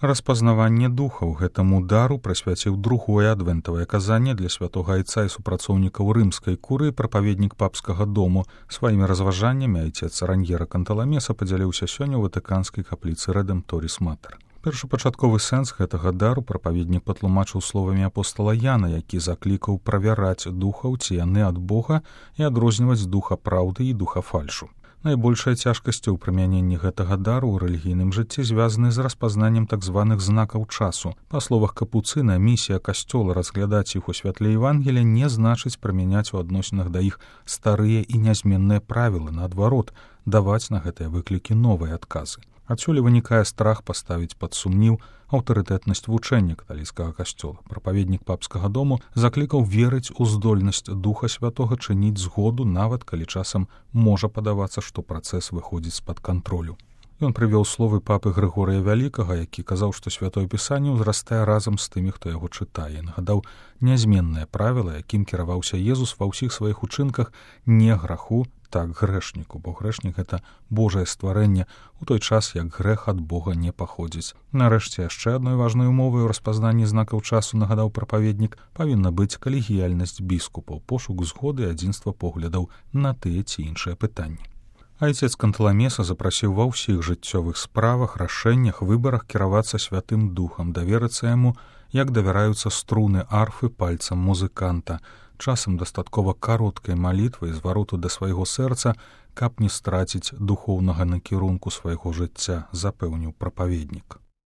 Распазнаванне духаў гэтаму дару прысвяціў другое адвентавае казанне для святога айца і супрацоўнікаў рымскай курыі прапаведнік папскага дому. Сваімі разважаннямі айцец Раньера Канталамеса падзяліўся сёння ў ватыканскай капліцы Рэдэмпторіс Матэр. Першапачатковы сэнс гэтага дару прапаведнік патлумачыў словамі апостала Яна, які заклікаў правяраць духаў, ці яны ад Бога, і адрозніваць духа праўды і духа фальшу. Найбольшая цяжкасць у прымяненні гэтага дару ў рэлігійным жыцці звязаны з распазнаннем так званых знакаў часу. Па словах Капуцына, місія касцёла разглядаць іх у святле Евангелія не значыць прымяняць у адносінах да іх старыя і нязменныя правілы, наадварот, даваць на гэтыя выклікі новыя адказы. Адсюль вынікае страх паставіць пад сумнеў аўтарытэтнасць вучэння каталіцкага касцёла. Прапаведнік папскага дому заклікаў верыць у здольнасць Духа Святога чыніць згоду, нават калі часам можа падавацца, што працэс выходзіць з-пад кантролю. Ён прывёў словы папы Грыгорыя Вялікага, які казаў, што святое пісанне ўзрастае разам з тымі, хто яго чытае. Нагадаў нязменнае правіла, якім кіраваўся Езус ва ўсіх сваіх учынках: не граху, так грэшніку, бо грэшнік — гэта Божае стварэнне, у той час, як грэх ад Бога не паходзіць. Нарэшце, яшчэ адной важнай умовай у распазнанні знакаў часу, нагадаў прапаведнік, павінна быць калегіяльнасць біскупаў, пошук згоды і адзінства поглядаў на тыя ці іншыя пытанні. Айцец Канталамеса запрасіў ва ўсіх жыццёвых справах, рашэннях, выбарах кіравацца Святым Духам, даверыцца яму, як давяраюцца струны арфы пальцам музыканта. Часам дастаткова кароткай малітвы і звароту да свайго сэрца, каб не страціць духоўнага накірунку свайго жыцця, запэўніў прапаведнік.